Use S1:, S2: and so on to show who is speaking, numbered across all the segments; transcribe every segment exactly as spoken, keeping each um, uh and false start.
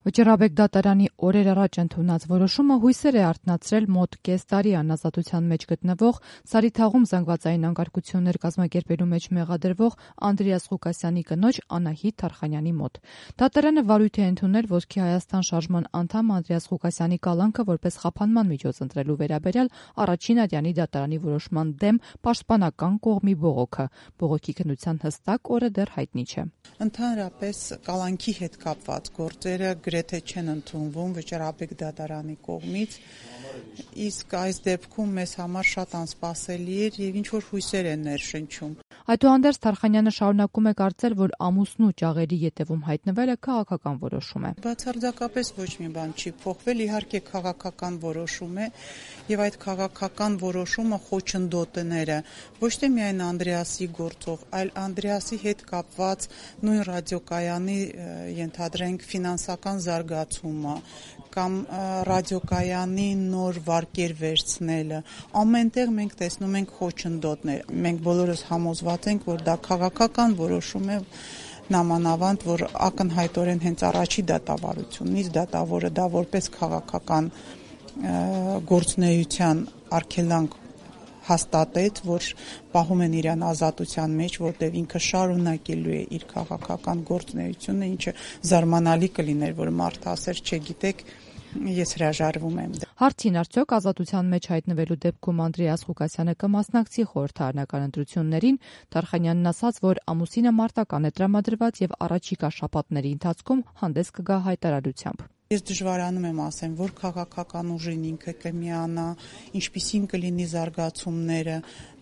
S1: Վճռաբեկ դատարանի օրեր առաջ ընդունած որոշումը հույսեր է արթնացրել մոտ կես տարի անազատության մեջ գտնվող, Սարիթաղում զանգվածային անկարգություններ կազմակերպելու մեջ մեղադրվող Անդրեաս Ղուկասյանի կնոջ Անահիտ Թարխանյանի մոտ։ Դատարանը վարույթ է ընդունել Ոսկե Հայաստան շարժման անդամ Անդրեաս Ղուկասյանի կալանքը որպես խափանման միջոց ընտրելու վերաբերյալ առաջին ատյանի դատարանի որոշման դեմ պաշտպանական կողմի բողոքը։ Բողոքի քննության հստակ օրը դեռ հայտնի չէ։
S2: Ընդհանրապես կալանքի հետ կապված գործերը գրեթե չեն ընդունվում վճռաբեկ դատարանի կողմից, իսկ այս դեպքում մեզ համար շատ անսպասելի էր եւ ինչ որ հույսեր են ներշնչում։
S1: Այդուհանդերձ Թարխանյանը շարունակում է կարծել, որ ամուսնու ճաղերի ետևում հայտնվելը քաղաքական որոշում է։
S2: Բացարձակապես ոչ մի բան չի փոխվել, իհարկե քաղաքական որոշում է եւ այդ քաղաքական որոշումը խոչընդոտները ոչ թե միայն Անդրեասի գործով, այլ Անդրեասի հետ կապված նույն ռադիոկայանի ենթադրենք ֆինանսական զարգացումը կամ ռադիոկայանի նոր վարկեր վերցնելը, ամենտեղ մենք տեսնում ենք խոչընդոտներ։ Մենք բոլորս համոզված ենք, որ դա քաղաքական որոշում է, նամանավանդ, որ ակնհայտորեն հենց առաջի դատավարությունից դատավորը դա որպես քաղաքական գործունեության արգելանք հաստատեց, որ պահում են իրան ազատության մեջ, որտեղ ինքը շարունակելու է իր քաղաքական գործունեությունը, ինչը զարմանալի կլիներ, որ մարդը ասեր, չգիտեք, ես հրաժարվում եմ։
S1: Հարցին արդյոք ազատության մեջ հայտնվելու դեպքում Անդրեաս Ղուկասյանը կմասնակցի խորհրդարանական ընտրություններին, Թարխանյանն ասաց, որ ամուսինը մարտական է տրամադրված եւ առաջիկա շաբաթների ընթացքում հանդես կգա հայտարարությամբ։
S2: Ես դժվարանում եմ ասեմ, որ քաղաքական ուժին ինքը կմիանա, ինչպիսին կլինի զարգացումները,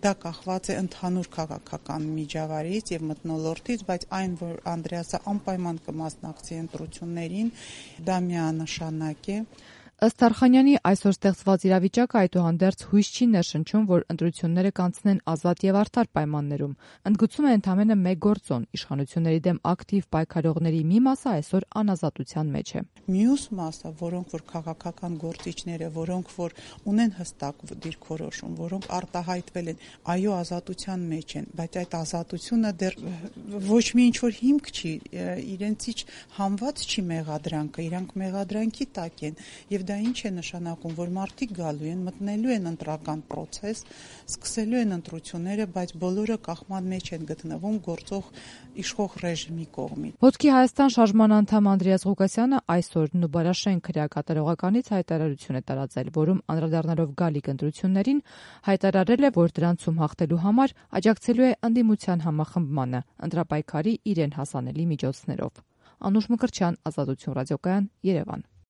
S2: դա կախված է ընդհանուր քաղաքական միջավայրից եւ մթնոլորտից, բայց այն, որ Անդրեասը անպայման կմասնակցի ընտրություններին, դա միանշանակ է։
S1: Ըստ Թարխանյանի այսօր ստեղծված իրավիճակը այդուհանդերձ հույս չի ներշնչում, որ ընտրությունները կանցնեն ազատ եւ արդար պայմաններում։ Ընդգծում է ընդամենը մեկ գործոն՝ իշխանությունների դեմ ակտիվ պայքարողների մի մասը այսօր անազատության մեջ է։
S2: Մյուս մասը, որոնք որ քաղաքական գործիչները, որոնք որ ունեն հստակ դիրքորոշում, որոնք արտահայտվել են, այո, ազատության մեջ են, բայց այդ ազատությունը դեռ ոչ մի ինչ որ հիմք չի, իրենցից համված չի մեղադրանքը, իրանք մեղադրանքի տակ են եւ դա ինչ է նշանակում, որ մարդիկ գալու են, մտնելու են ընտրական process, սկսելու են ընտրությունները, բայց բոլորը կախման մեջ են գտնվում գործող իշխող ռեժիմի կողմից։
S1: Ոսկե Հայաստան շարժման անդամ Անդրեաս Ղուկասյանը այսօր Նուբարաշեն քրեակատարողականից հայտարարություն է տարածել, որում անդրադառնալով գալիք ընտրություններին հայտարարել է, որ դրանցում հաղթելու համար աջակցելու է ընդդիմության համախմբմանը, ընտրապայքարի իրեն հասանելի միջոցներով։ Անուշ Մկրտչյան, Ազատություն ռադիոկայան, Երևան։